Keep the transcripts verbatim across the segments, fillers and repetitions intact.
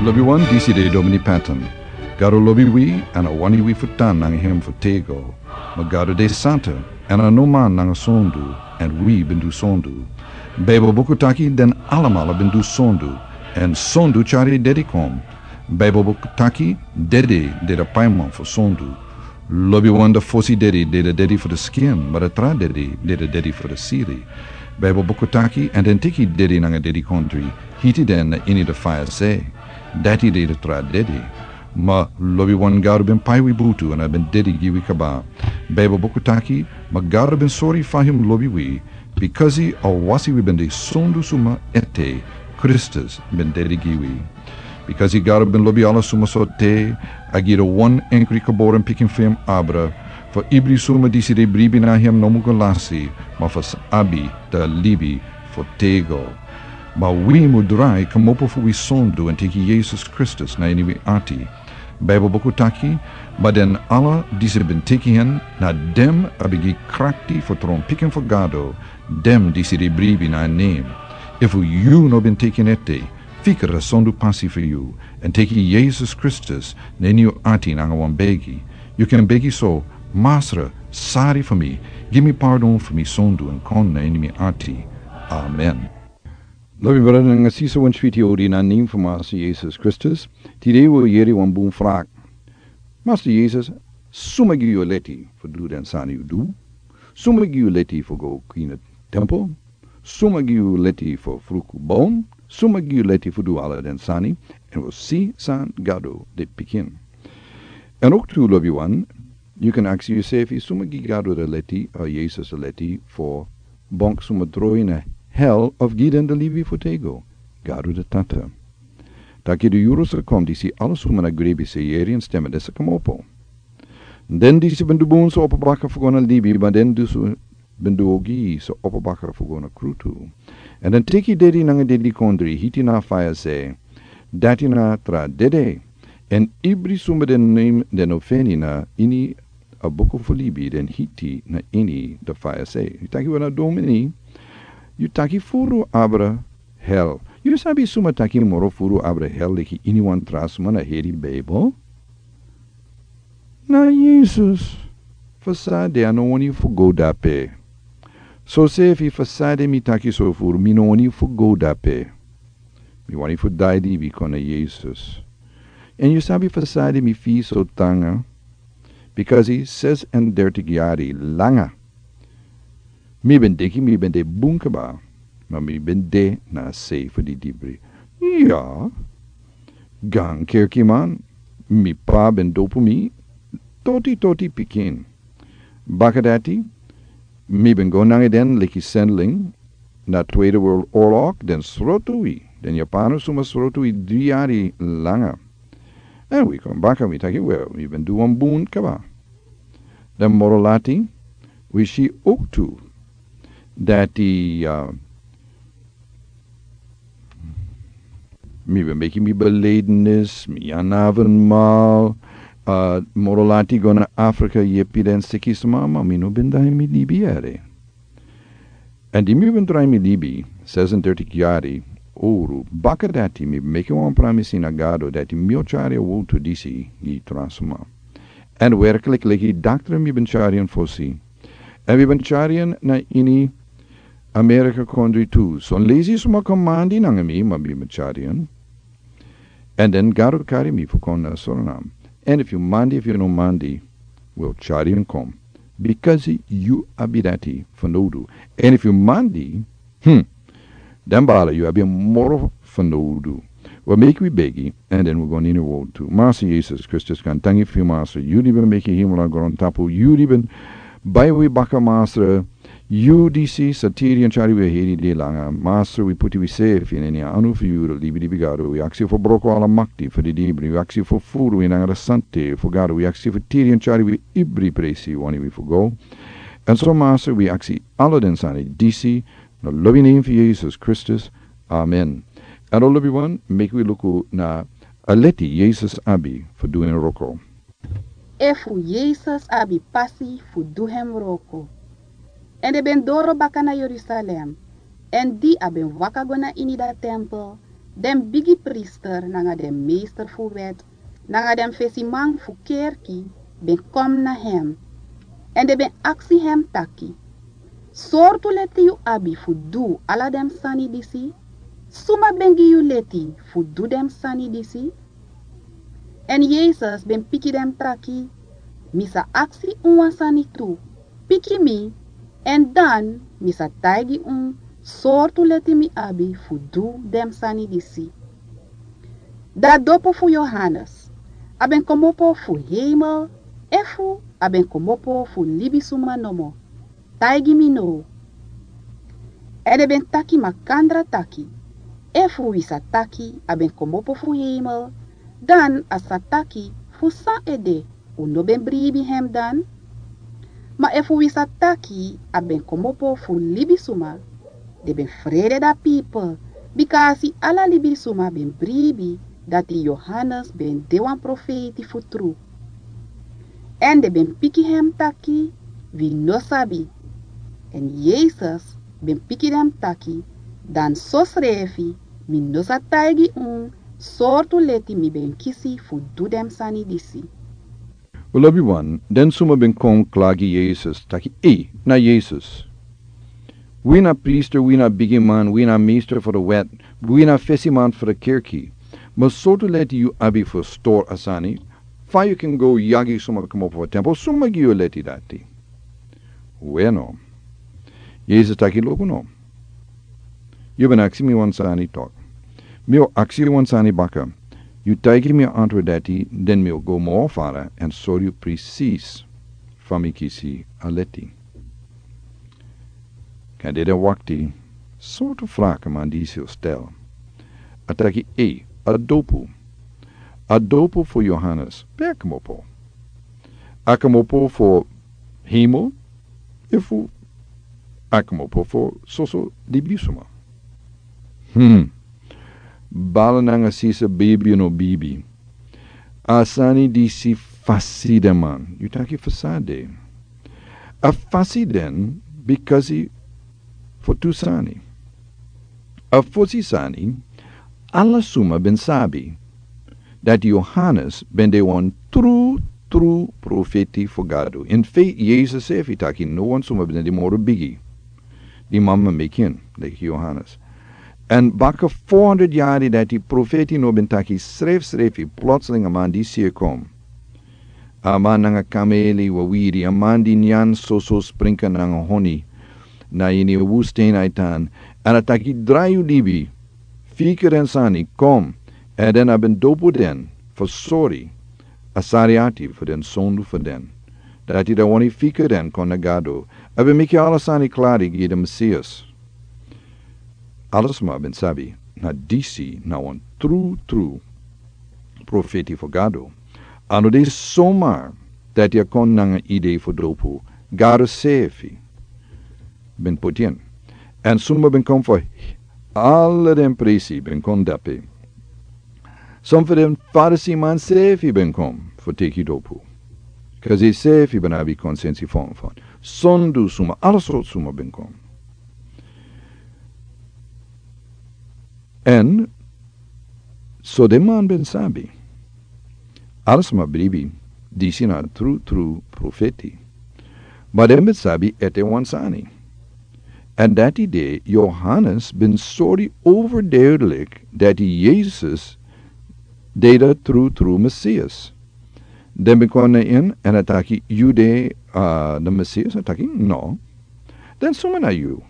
Lobi wan, disi de Domini Patton. Gado lobi wi, èn a wani wi fu tan nanga hem fu tego. Ma Gado de santa, èn a no man nanga sondu, èn wi ben du sondu. Baibel buku taki den alamala ben du sondu, èn sondu tyari dede kon. Baibel buku taki dede de a paiman fu sondu. Lobi wan, a fosi dede de a dede fu a skin, ma a tra dede de a dede fu a siri. Baibel buku taki, èn den teki dede nanga dedikondri, hiti den na ini a faya sei. Dati de a tra dede. Ma lobi wan, Gado ben pai wi butu èn a ben dede gi wi kaba. Baibel buku taki, ma Gado ben sori fa hem lobi wi, bikasi a wasi wi ben de sondu suma ete, Kristus ben dede gi wi. Bikasi Gado ben lobi ala suma so te, a gi a wan enkri geboren pikin fu hem abra, fu ibri suma disi de bribi na hem no mu go lasi, ma fu sa abi a libi fu tego. Ma wi mu drai kmopo fu wi sondu èn teki Yesus Kristus na ini wi ati. Baibel buku taki, ma den ala disi ben teki hen, na den a ben gi krakti fu tron pikin fu Gado, den disi de bribi na en nen. Efu yu no ben teki en ete, fika a sondu pasi fu yu, èn teki Yesus Kristus na ini yu ati nanga wan begi. Yu kan begi so: Masra, sori fu mi, gi mi pardon fu mi sondu èn kon na ini mi ati. Amen. Lobi brada nanga sisa, wan switi odi na nen fu Masra Yesus Kristus. Tide wi o yere wan bun vraag. Masra Yesus, suma gi yu leti fu du den sani yu du? Suma gi yu leti fu go kina tempel? Suma gi yu leti fu fruku bon? Suma gi yu leti fu du ala den sani? Èn wi o si san Gado de pikin. Èn ook tu, lobi wan, yu kan aksi yusefi, suma gi Gado a leti, a Yesus a leti, fu bon suma droi na hel of gi den a libi fu tego? Gado a Tata. Taki a yuru sa kon disi ala suma na grebi sa yere en stem èn den sa kmopo. Den disi ben du bun sa opo baka fu go na libi, ma den disi ben du ogi sa opo baka fu go na krutu. Èn den teki dede nanga dedikondri, hiti na faya sei. Dati na a tra dede. Èn ibri suma den nen den o feni na ini a buku fu libi, den hiti na ini a faya sei. Yu taki: Wel, na Domini, yu taki furu abra hel. Yu sabi suma taki moro furu abra hel leki iniwan tra suma na heri Baibel? Na Yesus. Fu san? A no wani fu go drape. Sosefi, fu san mi taki so furu? Mi no wani fu go drape. Mi wani fu drai libi kon na Yesus. Èn yu sabi fu san mi firi so tranga? Bikasi ses'endertig yari langa mi ben denki mi ben de bun kaba, ma mi ben de na a sei fu didibri. Ya, gan kerkiman, mi p'pa ben dopu mi, toti toti pikin. Baka dati, mi ben go nanga den leki zendeling na Tweede Wereldoorlog, den srotu wi, den Japano suma srotu wi dri yari langa. Èn wi kon baka, mi taki: Wel, mi ben du wan bun kaba. Dan moro lati, wi si ook tu dati, uh, mi ben meki mi beledenis, mi yanaven mal, uh, moro lati go na Afrika yepi den siki sma, ma mi no ben drai mi libi ere. Èn di mi ben drai mi libi, ses'endertig yari oro, baka dati mi ben meki wan pramisi na Gado dati mi o tyari a wowtu disi gi tra sma. Èn werklik leki daktra mi ben tyari en fosi. Èn mi ben tyari en na ini Amerika kondre tu. Son leisi sma kon mandi nanga mi, ma mi ben tyari en. Èn dan Gado kari mi fu kon na Surinam. Èn efu yu mandi, efu yu no mandi, wi o tyari en kon. Bikasi yu abi dati fanowdu. Èn efu yu mandi, hmm, dan baala, yu abi en moro fanowdu. Wi o meki wi begi, èn dan wi o go na ini a wowtu. Masra Yesus Kristus, gaantangi fu yu, Masra, yu di ben meki hemel nanga grontapu, yu di ben bai wi baka, Masra, yu disi sa tiri èn tyari wi heri dei langa. Masra, wi poti wisefi na ini a anu fu yu, libi libi Gado. Wi aksi fu broko ala makti fu didibri. Wi aksi fu furu wi nanga a sante fu Gado. Wi aksi fu tiri èn tyari wi ibri presi yu wani wi fu go. Èn so, Masra, wi aksi ala den sani disi na a lobi nen fu Yesus Kristus. Amen. Èn lobiwan, meki wi luku na a leti Yesus abi fu du en wroko. Efu Yesus abi pasi fu du hem wroko. Èn den ben doro baka na Yerusalem. Èn di a ben waka go na ini a tempel, Den bigi priester nanga den meester fu wet nanga den fesiman fu kerki ben kon na hem, èn den ben aksi hem taki: Sortu leti yu abi fu du ala den sani disi? Suma ben gi yu leti fu du den sani disi? Èn Yesus ben piki den taki: Mi sa aksi un wan sani tu. Piki mi, èn dan mi sa taigi un sortu leti mi abi fu du den sani disi. Da dopu fu Yohanes, a ben komopo fu heimel efu a ben komopo fu libisuma nomo? Taigi mi now. Èn den ben taki makandra taki: Efu wi sa taki a ben komopo fu heimel, dan a sa taki fu san ede un no ben bribi hem dan? Ma efu wi sa taki a ben komopo fu libisuma, den ben frede dati pipel, bika a si ala libisuma ben bribi dati Yohanes ben de wan profeiti fu tru. Èn den ben piki hem taki: Wi no sabi. Èn Yesus ben piki den taki: Dan sosrefi mi no sa taigi un sortu leti mi ben kisi fu du den sani disi. Wi lobi wan, den suma ben kon klagi Yesus taki: Ei, na Yesus. Wi na priester, wi na bigiman, wi na meester fu de wet, wi na fesiman fu de kerki. Ma sortu leti yu abi fu stori a sani? Fa yu ken go yagi suma komopo fu a tempel? Suma gi yu leti dati? Weno, Yesus taki: Luku no. Yu ben aksi mi wan sani tok. Mi o aksi yu wan sani baka. Yu taigi mi a antwoord dati, den mi o go moro fara èn sori yu presis fa mi kisi a leti. Kan dede wakti, sortu fraka man disi o stel. A taki: Ei, a dopu. A dopu fu Yohanes, pe a komopo? A komopo fu heimel efu a komopo fu soso libisuma? Hmm. Bala nanga sisa, bibi no bibi, a sani disi fasi den man. Yu taki fu san de? A fasi den bikasi fu tu sani. A fosi sani, ala suma ben sabi dati Yohanes ben de wan tru tru profeti fu Gado. In fact, Yesus sefi taki no wan suma ben de moro bigi di mama meki en leki Yohanes. Èn baka fo hundred yari dati profeti no ben taki srefsrefi, plotseling a man disi e kon. A man nanga kameli wawiri, a man di nyan soso sprinka nanga honi. Na ini a woestijn a e tan, èn a taki: Drai yu libi, fika den sani, kon. Èn den a ben dopu den fu sori a sari ati fu den sondu fu den. Dati a wani fika den kon na Gado. A ben meki ala sani klari gi den Mesias. Ala suma ben sabi na disi na wan tru tru profeti fu Gado. A no de somar dati a kon nanga idee fu dopu. Gado sefi ben poti en. Èn suma ben kon fu ala den presi ben kon dape. Son fu den Farisi man sefi ben kon fu teki dopu. Kasi sefi ben abi konsensi fu en fu en. Sondu suma, ala sortu suma ben kon. Èn so den man ben sabi. Ala suma bribi, disi na tru tru profeti. Ma den ben sabi ete wan sani. Èn dati de Yohanes ben sori overduidelijk dati Yesus de de tru tru Mesias. Den ben kon na en èn a taki: Yu de, ah, de Mesias? A taki: No. Den suma na yu?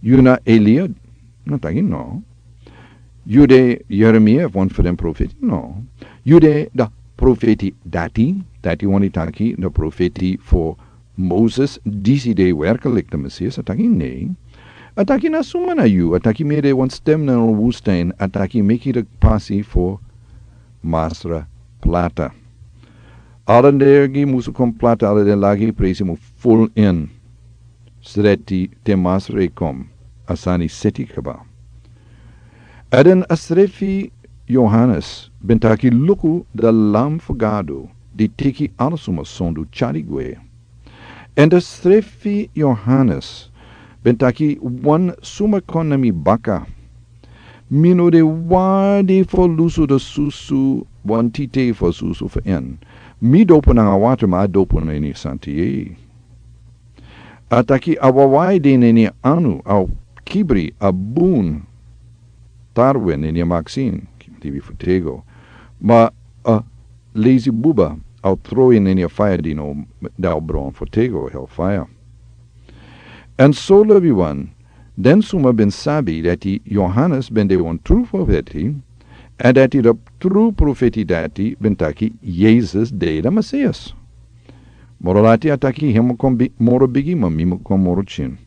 Yu na Elia? A taki: No. Yu de Yeremia efu wan fu den profeti? No. Yu de de profeti dati, dati wani taki de profeti fu Moses, disi de werkelijk de Mesias? A taki: Nei. A taki: Na suma na yu? A taki: Mi de wan stem na woestijn, a taki: Meki de pasi fu Masra plata. Ala den dergi musu kon plata, ala den lagi presi mu ful in. Sreti te Masra e kon, a sani seti kaba. Èn den a srefi Yohanes ben taki: Luku de Lam fu Gado di teki ala suma sondu tyari gwe. Èn den srefi Yohanes ben taki: Wan suma kon na mi baka, Mi no de wani fu lusu de susu, wan tite fu susu fu en. Mi dopu nanga watra, ma a dopu na ini a santa yeye. A taki a wawai de na ini a anu, a o kibri a bun tarwe na ini a maksin, libi fu tego. Ma a lezi buba a o tron na ini a faya dino, dan a o bron fu tego, hel faya. Èn so, lobiwan, den suma ben sabi dati Yohanes ben de wan tru profeti, èn dati a tru profeti dati ben taki Yesus de a Mesias. Moro lati a taki, himi kon bi-, moro bigi, ma mi mu kon moro kin.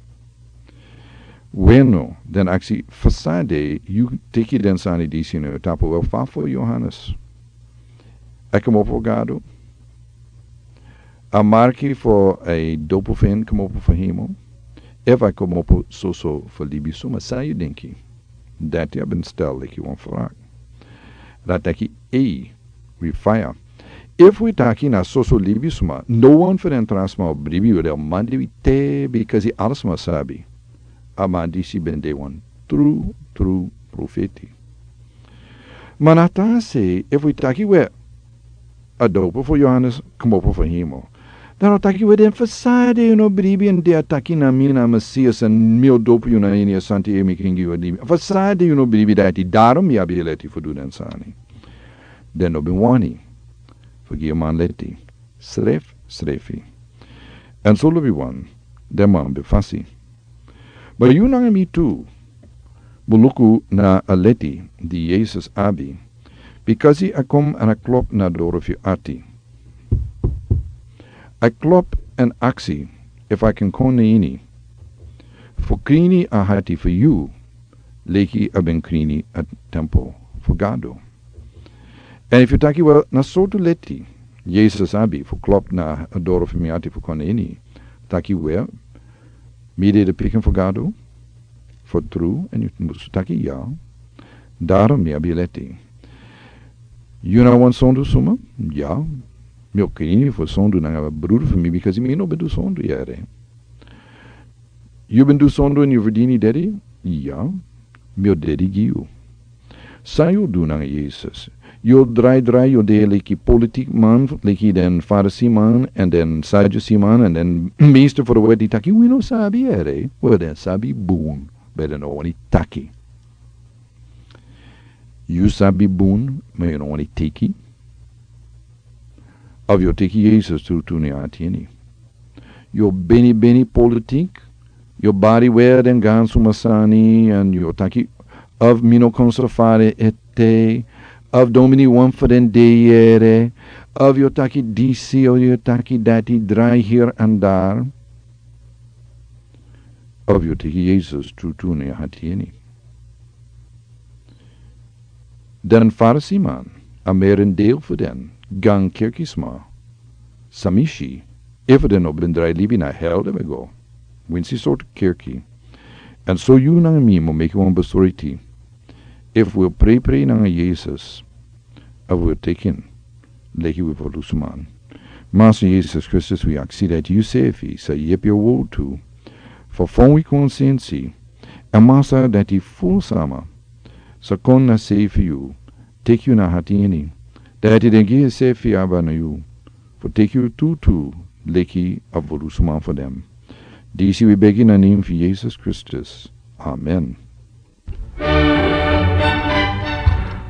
Weno, den aksi, fasade yu teki den sani disi na yu tapu? Wel, fa fu Yohanes? A komopo fu Gado? A marki fu a dopu fu en komopo fu hemel? Efu a komopo soso fu libisuma, san yu denki? Dati a ben stel leki wan vraag. Dan a taki, ei, wi faya. Efu wi taki na soso libisuma, no wan fu den tra sma o bribi, wi de o mandi wi te, bikasi ala sma sabi a man disi ben de wan tru, tru profeti. Ma na tan sei, efu wi taki we a dopu fu Yohanes komopo fu hemel, dan a o taki we, den fasade yu no bribi, èn den a taki na mi na Mesias, èn mi o dopu yu na ini a santa yeye, mi kan gi yu a libi. Fasade yu no bribi dati? Daarom mi abi leti fu du den sani. Den no ben wani fu gi a man leti. Srefsrefi. Èn so, lobiwan, den man ben fasi. Ma yu nanga mi tu mu luku na a leti di Yesus abi, bikasi a kon èn a klop na a doro fu yu ati. A klop èn aksi efu a kan kon na ini fu krini a ati fu yu, leki a ben krini a tempel fu Gado. Èn efu yu taki, wel, na sortu leti Yesus abi fu klop na a doro fu mi ati fu kon na ini, taki, wel, mi de a pikin fu Gado fu tru, èn yu musu taki ya. Daarom mi abi leti. Yu na wan sondu suma? Ya. Mi o krini fu sondu nanga a brudu fu mi, bikasi mi no ben du sondu yere. Yu ben du sondu èn yu ferdini dedi? Ya. Mi o dedi gi yu. San yu o du nanga Yesus? Yu o drai drai, yu o de leki politik man, leki den Farisi man èn den Sadusi man èn den meester fu a wet di taki, wi no sabi yere. Wel, den sabi bun, ma den no wani taki. Yu sabi bun, ma yu no wani teki. Efu yu o teki Yesus trutu na yu ati ini, yu o beni beni politik, yu o bari weri den gaansuma sani, èn yu o taki, efu mi no kon so fari ete, efu domini wan fu den de yere, efu yu o taki disi, efu yu o taki dati, drai heri èn dari. Efu yu o teki Yesus trutu na yu ati ini. Den Farisi man, a merendeel fu den, gan kerki sma, san mi si, efu den no ben drai libi, na hel den ben go. Winsi sortu kerki. Èn so yu nanga mi mu meki wan besluiti. Efu wi o preiprei nanga Yesus, efu wi o teki en leki wi ferlusu man. Masa Yesus Kristus, wi aksi dati yu sefi sa yepi a wotu fu fon wi konsensi, èn Masa, dati fu sama sa kon na sei fu yu, teki yu na ati ini, dati den gi ensefi aba na yu, fu teki yu tutu leki a ferlusu man fu den. Disi wi begi na nen fu Yesus Kristus. Amen.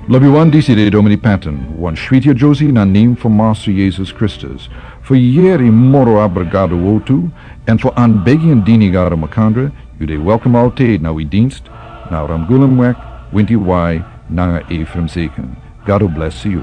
Lobiwan, disi de Domini Patton, wan switi a Josie na nen fu Masa Yesus Kristus. Fu yeri moro abra Gado wotu, èn fu anbegi èn dini Gado makandra, yu de welkom altijd na wi dienst, na Ramgulum wek, winti wai, nanga Ephraim Seken. Gado bless yu.